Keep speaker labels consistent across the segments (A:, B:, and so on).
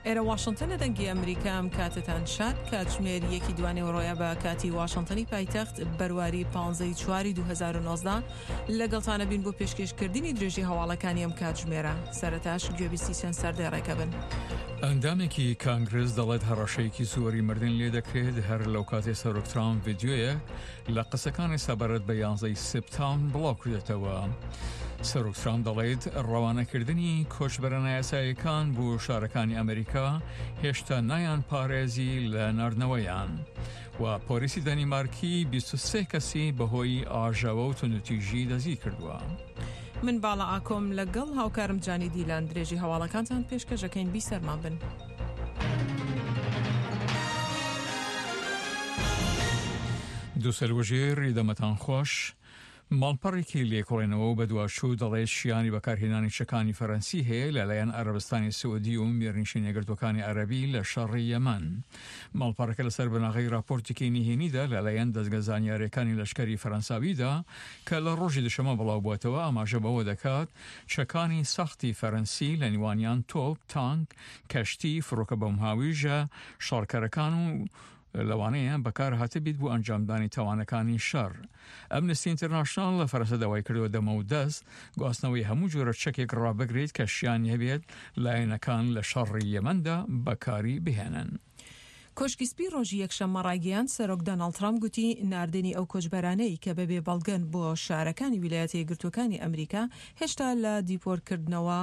A: ئێرە واشنتنە دەنگی ئەمریکا ئەم کاتەتان شاد کاتژمێر یەکی دوانێوەڕۆیە بە کاتی واشنتنی پایتەخت بەرواری 15 چواری 2019 لەگەڵتانە بین بۆ پێشکێشکردنی درێژی هەواڵەکانی ئەم کاتژمێرە سەرەتاش گوێبیستی چەند سەردێڕێکە بن.
B: ئەندامێکی کانگرس دەڵێت هەڕەشەیەکی زۆری مردن لێ دەکرێت هەر لەو کاتێ سەرۆک ترامپ ڤیدیۆیەک لە قسەکانی سەبارەت بە یانزەی سپتامبر بڵاو کردێتەوە. سەرۆک ترامپ دەڵێت ڕەوانەکردنی کۆچبەرە نایاساییەکان بۆ شارەکانی ئەمریکا هێشتا نایان پارێزی لە ناردنەوەیان. و پۆلیسی دەنیمارکی 23 کەسی بەهۆی ئاژاوە و توندوتیژی دەستگیر کردووە.
A: من باڵا ئاکۆم لەگەڵ هاوکارم جانی دیلان درێژی هەواڵەکانتان پێشکەشەکەین بیسەرمان بن.
B: دووسەروەژێر دەمەتان خۆش. ماڵپەڕێکی لێکۆڵێنەوە و بەدواچوو دەڵێت شیانی بەکارهێنانی چەکانی فەرەنسی هەیە لەلایەن عەرەبستانی سعودی و میرنشینە یەکگرتووەکانی عەرەبی لە شەڕی یەمەن. ماڵپەڕەکە لەسەر بناغەی راپۆرتێکی نهێنیدا لەلایەن دەزگە زانیارییەکانی لەشکری فەرەنساویدا کە لە ڕۆژی دوشەمە بڵاوبووەتەوە ئاماژە بەوە دەکات چەکانی سەختی فەرەنسی لە نێوانیان تۆپ، تانک، کەشتی، فڕۆکە بۆمبهاویژە شەڕکەرەکان و لەوانەیە بەکار هاتبیت بۆ ئەنجامدانی تاوانەکانی شەڕ. ئەمنستی ئینتەرناشناڵ لە فەرەنسا داوای کردووە دەمەودەست گواستنەوەی هەموو جۆرە چەکێک ڕابگریت کە شیانی هەبێت لایەنەکان لە شەڕی یەمەندا بەکاری بهێنن.
A: کۆشکی سپی ڕۆژی یەکشەممە ڕایگەیاند، سەرۆک دۆناڵد ترەمپ گوتی ناردنی ئەو کۆچبەرانەی کە بەبێ بەڵگەن بۆ شارەکانی ویلایەتە یەکگرتووەکانی ئەمریکا هێشتا لە دیپۆرتکردنەوە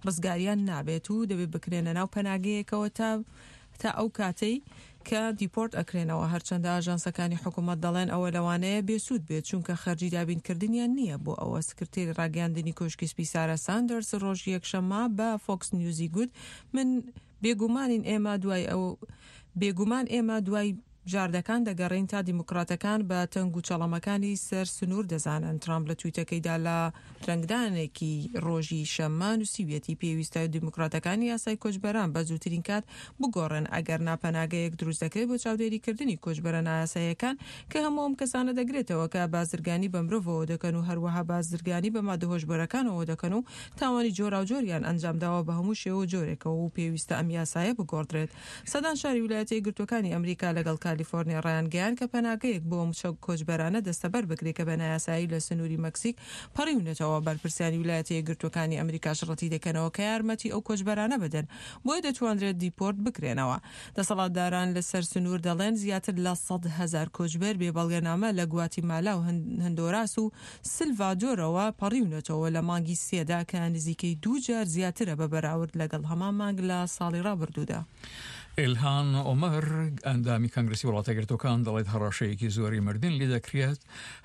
A: ڕزگاریان نابێت و دەبێت بکرێنە ناو پەناگەیەکەوە تا تا ئەو کاتەی کە دیپۆرت ئەکرێنەوە، هەرچەندە ئاژانسەکانی حکومەت دەڵێن ئەوە لەوانەیە بێسوود بێت چونکە خەرجی دابینکردنیان نییە بۆ ئەوە. سکرتێری ڕاگەیاندنی کۆشکی سپی سارا ساندەرز ڕۆژی یەکشەممە بە فۆکس نیوزی گوت من بێگومانین ئێمە دوای ئەو بێگومان ئێمە دوای بژاردەکان دەگەڕێین تا دیموکراتەکان بە تەنگ و چەڵەمەکانی سەر سنوور دەزانن. ترامپ لە تویتەکەیدا لە درەنگدانێکی ڕۆژی شەممە نووسیویەتی پێویستە دیموکراتەکان یاسای کۆچبەران بە زووترین کات بگۆڕن ئەگەرنا پەناگەیەک دروست دەکرێت بۆ چاودێریکردنی کۆچبەرە نایاساییەکان کە هەموو ئەم کەسانە دەگرێتەوە کە بازرگانی بە مرۆڤەوە دەکەن و هەروەها بازرگانی بە مادە هۆشبەرەکانەوە دەکەن و تاوانی جۆراوجۆریان ئەنجامداوە بە هەموو شێوە و جۆرێکەوە و پێویستە ئەم یاسایە بگۆڕدرێت. سەدان شاری ویلایەتە یەکگرتووەکانی ئەمریکا لەگەڵ کالیفۆرنیا ڕایانگەیاند کە پەناگەیەک بۆ ئەم کۆچبەرانە دەستەبەر بکرێت کە بە نایاسایی لە سنووری مەکسیک پەڕیونەتەوە. بەرپرسانی ویلایەتە یەکگرتووەکانی ئەمریکاش ڕەتیدەکەنەوە کە یارمەتی ئەو کۆچبەرانە بدەن بۆیە دەتوانرێت دیپۆرت بکرێنەوە. دەسەڵاتداران لەسەر سنوور دەڵێن زیاتر لە 100,000 کۆچبەر بێ بەڵگەنامە لە گواتیمالا و هەندۆراس و سلڤادۆرەوە پەڕیونەتەوە لە مانگی سێدا کە نزیکەی دوو جار زیاترە بە بەراورد لەگەڵ هەمان مانگ لە ساڵی ڕابردوودا.
B: ئیلهان عومەر، ئەندامی کانگرسی وڵاتەیەکگرتووەکان دەڵێت هەڕەشەیەکی زۆری مردن لێدەکرێت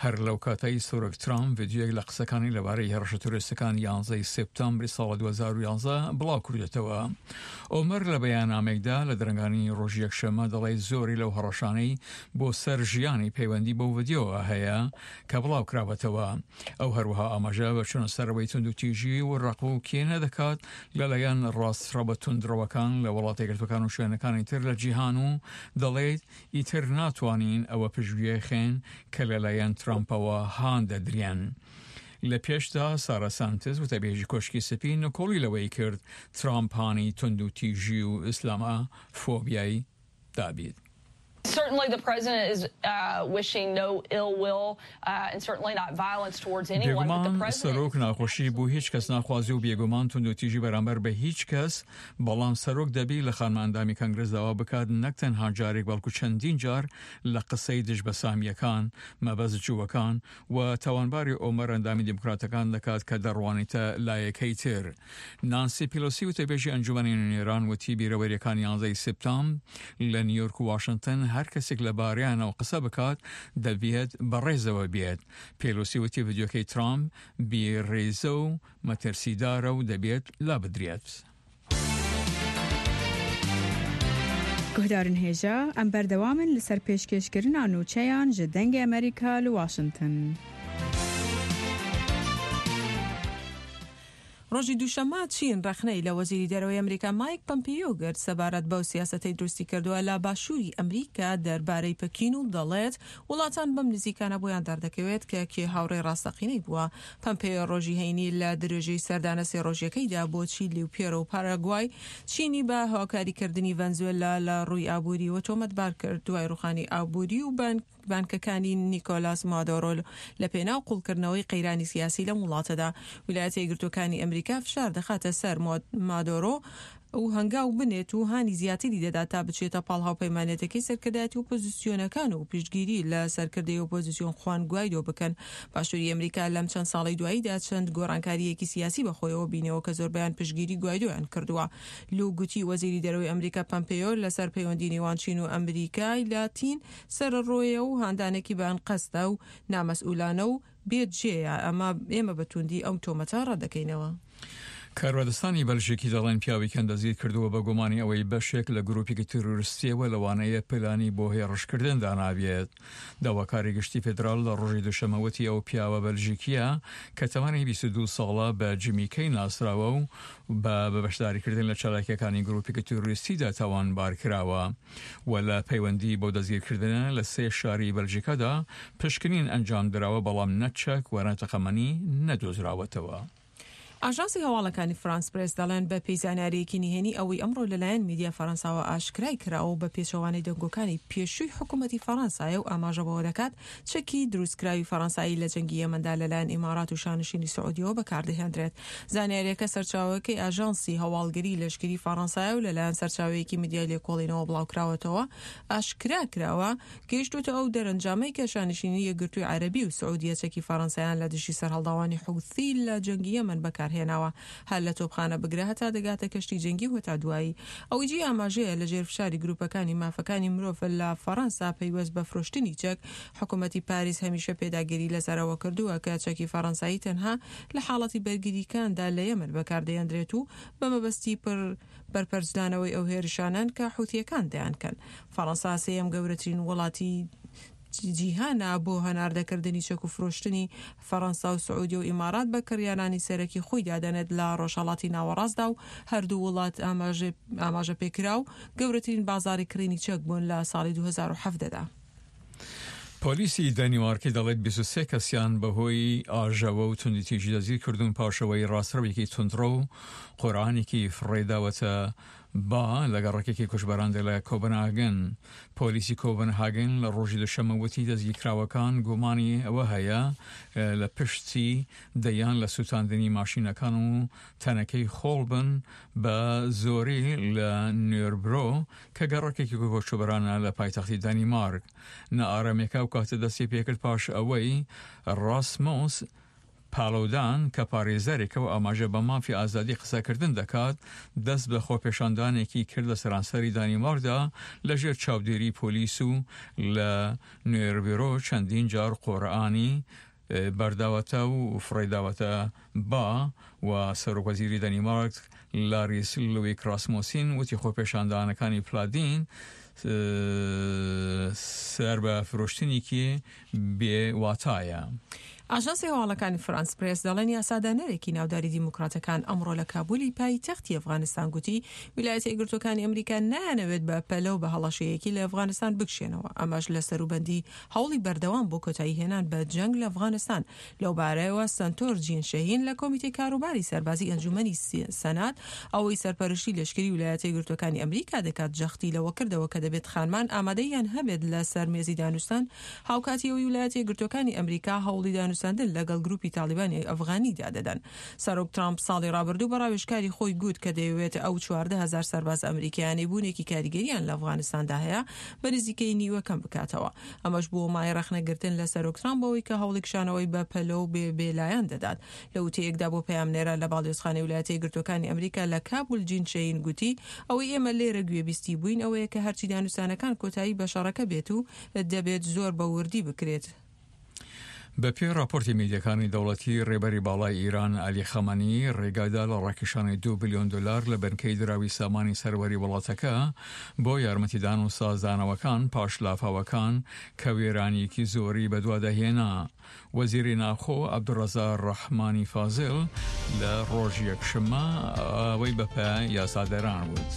B: هەر لەو کاتەی سەرۆک ترامپ ڤیدیۆیەک لە قسەکانی لەبارەی هێڕشە تیرۆریستەکانی یانزەی سێپتامبری ساڵی 2011 بڵاو کردێتەوە. عومەر لە بەیاننامەیەکدا لە درەنگانی ڕۆژی یەکشەممە دەڵێت زۆری لەو هەڕەشانەی بۆ سەر ژیانی پەیوەندی بەو ڤیدیۆوە هەیە کە بڵاوکراوەتەوە. ئەو هەروەها ئاماژە بە چوونە سەرەوەی توندوتیژی و ڕق و کینە دەکات لەلایەن ڕاستڕەوە توندڕەوەکان لە وڵاتە یەکگرتووەکان و شوێنەکانی تر لە جیهان و دەڵێت ئیتر ناتوانین ئەوە پشتگوێ خەین کە لەلایەن ترامپەوە هان دەدرێن. لە پێشدا سارا سانتز وتەبێژی کۆشکی سپی نکۆڵی لەوەی کرد ترامپ هانی توندوتیژی و ئیسلامە فۆبیای دابیت. بێگومان سەرۆک ناخۆشی بۆ هیچ کەس ناخوازی و بێگومان توندوتیژی بەرامبەر بە هیچ کەس، بەڵام سەرۆک دەبی لە خانمە ئەندامی کەنگرس داوا بکات نەک تەنها جارێک بەڵکو چەندین جار لە قسەی دژ بە سامییەکان، مەبەست جووەکان، و تاوانباری ئۆمەر ئەندامی دیموکراتەکان دەکات کە دەڕوانیتە لایەکەی تر. نانسی پیلۆسی وتەبێژی ئەنجومەنی نوێنەران وتی بیرەوەریەکانی یانزەی سپتامب لە نیویۆرک و واشنتن هەر کەسێک لە بارەیانەوە قسە بکات دەبێت بەڕێزەوە بێت. پێلۆسی وتی ڤیدیۆکەی ترامپ بێ ڕێزە و مەترسیدارە و دەبێت لابدرێت.
C: گوهدارن هێژا، ئەم بەردەوامن لەسەر پێشکێشکردنا نوچەیان ژە دەنگێ ئەمەریکا لە واشنتن.
A: ڕۆژی دووشەممە چین ڕەخنەی لە وەزیری دەرەوەی ئەمریکا مایک پەمپیۆ گرت سەبارەت بەو سیاسەتەی دروستی کردووە لە باشووری ئەمریکا دەربارەی پەکین و دەڵێت وڵاتان بەم نزیکانە بۆیان دەردەکەوێت کە کێ هاوڕێی ڕاستەقینەی بووە. پەمپێیۆ ڕۆژی هەینی لە درێژەی سەردانە سێ ڕۆژیەکەیدا بۆ چیلی و پێرۆ و پاراگوای چینی بە هاوکاریکردنی ڤەنزوێلا لە ڕووی ئابوورییەوە تۆمەتبار کرد دوای ڕووخانی ئابووری و بانکەکانی نیکۆلاس مادۆرۆ لە پێناو قوڵکردنەوەی قەیرانی سیاسی لەم وڵاتەدا. ویلایەتە یەکگرتووەکانی ئەمریکا فشار دەخاتە سەر مادۆرۆ و هەنگاو بنێت و هانی زیاتری دەدات تا بچێتە پاڵ هاوپەیمانێتەکەی سەرکردایەتی ئۆپۆزیسیۆنەکان و پشتگیری لە سەرکردەی ئۆپۆزیسیۆن خوان گوایدۆ بکەن. باشووری ئەمریکا لەم چەند ساڵەی دواییدا چەند گۆڕانکارییەکی سیاسی بەخۆیەوە بینیوە کە زۆربەیان پشتگیری گوایدۆیان کردووە. لو گوتی وەزیری دەرەوەی ئەمریکا پەمپێیۆ لەسەر پەیوەندی نێوان چین و ئەمریکای لاتین سەرەڕۆیە و هاندانێکی بە ئەنقەستە و نامەسئولانە و بێ جێیە، ئەمە ئێمە بە تووندی ئەو تۆمەتە ڕەتدەکەینەوە.
B: کاربەدەستانی بەلژیکی دەڵێن پیاوێکیان دەستگیرکردووە بە گومانی ئەوەی بەشێک لە گروپێکی تیرۆریستییەوە لەوانەیە پلانی بۆ هێڕشکردن دانابێت. داواکاری گشتی فیدراڵ لە ڕۆژی دووشەممە وتی ئەو پیاوە بەلژیکییە کە تەمەنی 22 ساڵە بە جیمی کەی ناسراوە و بە بە بەشداریکردن لە چالاکییەکانی گروپێکی تیرۆریستیدا تاوانبارکراوە. و لە پەیوەندی بەو دەستگیرکردنە لە سێ شاری بەلژیکادا پشکنین ئەنجامدراوە، بەڵام نە چەک و نە تەقەمەنی نەدۆزراوەتەوە.
A: ئاژانسی هەواڵەکانی فرانس پرێس دەڵێن بە پێی زانیارییەکی نهێنی ئەوەی ئەمڕۆ لەلایەن میدیا فەرەنساوە ئاشکرای کراوە و بە پێچەوانەی دەنگۆکانی پێشووی حکوومەتی فەرەنسایە و ئاماژە بەوە دەکات چەکی دروستکراوی فەرەنسایی لە جەنگی یەمەندا لەلایەن ئیمارات و شانشینی سعودیەوە بەکاردەهێندرێت. زانیارییەکە سەرچاوەکەی ئاژانسی هەواڵگری لەشکری فەرەنسایە و لەلایەن سەرچاوەیەکی میدیای لێکۆڵینەوە بڵاوکراوەتەوە، ئاشکرا کراوە، گەیشتووەتە ئەو دەرەنجامەی کە شانشینی یەکگرتووی عەرەبی و سعودیە چەکی فەرەنسایان لە دژی سەرهەڵداوانی حوسی لە جەنگی یەمەن بەکارهێناوە، هەر لە تۆپخانە بگرە هەتا دەگاتە کەشتی جەنگی و هەتا دوایی. ئەوەی جێی ئاماژەیە لە ژێر فشاری گروپەکانی مافەکانی مرۆڤ لە فەرەنسا پەیوەست بە فرۆشتنی چەک، حکومەتی پاریس هەمیشە پێداگیری لەسەر ئەوە کردووە کە چەکی فەرەنسایی تەنها لە حاڵەتی بەرگریکاندا لە یەمەن بەکاردەهێندرێت و بە مەبەستی بەرپەرچدانەوەی ئەو هێرشانەن کە حوثییەکان دەیانکەن. فەرەنسا سێیەم گەورەترین وڵاتی جیهانە بۆ هەناردەکردنی چەک و فرۆشتنی، فەرەنسا و سعودیە و ئیمارات بە کڕیارانی سەرەکی خۆی دادەنێت لە ڕۆژهەڵاتی ناوەڕاستدا و هەردوو وڵات ئاماژەپێکراو گەورەترین بازاڕی کڕینی چەک بوون لە ساڵی 2017 دا.
B: پۆلیسی دانیمارکی دەڵێت 23 کەسیان بەهۆی ئاژاوە و توندوتیژی دەستگیر کردوون پاش ئەوەی ڕاستڕەوێکی توندڕەو قورئانێکی فڕێداوەتە با لە گەڕەکێکی کوشبەراندا لە کۆبنهاگن. پۆلیسی کۆبنهاگن لە ڕۆژی دوشەممە وتی دەستگیرکراوەکان گومانی ئەوە هەیە لە پشتی دەیان لە سوتاندنی ماشینەکان و تەنەکەی خۆڵ بن بە زۆری لە نوێربرۆ کە گەڕەکێکی کۆچبەرانە لە پایتەختی دانیمارک. نائارامیەکە ئەو کاتە دەستی پێکرد پاش ئەوەی ڕاسمۆس پالودان کە پارێزەرێکە و ئاماژە بە مافی ئازادی قسەکردن دەکات، دەست بە خۆپێشاندانێکی کرد لە سەرانسەری دانیمارکدا لەژێر چاودێری پۆلیس و لە نوێربرۆ چەندین جار قورئانی بەرداوەتە و فڕێداوەتە با و سەرۆکوەزیری دانیمارک لاریس لویک ڕاسمۆسین وتی خۆپێشاندانەکانی پلادین سەر بە فرۆشتنێکی بێ واتایە.
A: ئاژانسی هەواڵەکانی فرانس پرێس دەڵێن یاسادانەرێکی ناوداری دیموکراتەکان ئەمڕۆ لە کابولی پایتەختی ئەفغانستان گوتی ویلایەتە یەکگرتووەکانی ئەمریکا نایانەوێت بە پەلە و بە هەڵەشەیەکی لە ئەفغانستان بکشێنەوە ئەمەش لە سەروبەندی هەوڵی بەردەوام بۆ کۆتایی هێنان بە جەنگ لە ئەفغانستان لەوبارەیەوە سەنتۆر جین شەهین لە کۆمیتەی کاروباری سەربازی ئەنجومەنی سەنات ئەوەی سەرپەرشتی لەشکری ویلایەتە یەکگرتووەکانی ئەمریکا دەکات جەختی لەوە کردەوە کە دەبێت خانمان ئامادەییان هەبێت لە سەر مێزی دانوستان هاوکاتی ئەوەی ویلایەتە یەکگرتووەکانی ئەمریکا هەوڵی دانوستاندن لەگەڵ گروپی تاڵیبانی ئەفغانیدا دەدەن. سەرۆک ترامپ ساڵی ڕابردوو بە ڕاوێژکاری خۆی گوت کە دەیەوێت ئەو 14 هەزار سەربازە ئەمریکییانەی بوونێکی کاریگەریان لە ئەفغانستاندا هەیە بە نزیکەی نیوە کەم بکاتەوە. ئەمەش بووە مایەی ڕەخنەگرتن لە سەرۆک ترامپ بەوەی کە هەوڵی کشانەوەی بە پەلە و بێ بێلایەن دەدات. لە وتەیەکدا بۆ پەیامنێران لە باڵیۆزخانەی ویلایەتە یەکگرتووەکانی ئەمریکا لە کابول جین شەین گوتی ئەوەی ئێمە لێرە گوێبیستی بووین ئەوەیە کە هەرچی دانوستانەکان کۆتایی بە شەڕەکە بێت و دەبێت زۆر بە وردی بکرێت.
B: بە پێی ڕاپۆرتی میدیاکانی دەوڵەتی، ڕێبەری باڵای ئیران عەلی خامەنەیی ڕێگای دا لە ڕاکێشانی دوو بلیۆن دۆلار لە بنکەی دراوی سامانی سەروەری وڵاتەکە بۆ یارمەتیدان و سازدانەوەکان پاش لافاوەکان کە وێرانییەکی زۆری بەدوادا هێنا. وەزیری ناوخۆ عەبدولڕەزا ڕەحمانی فازیل لە ڕۆژی یەکشەممە ئەوەی بە یاسادەران وت.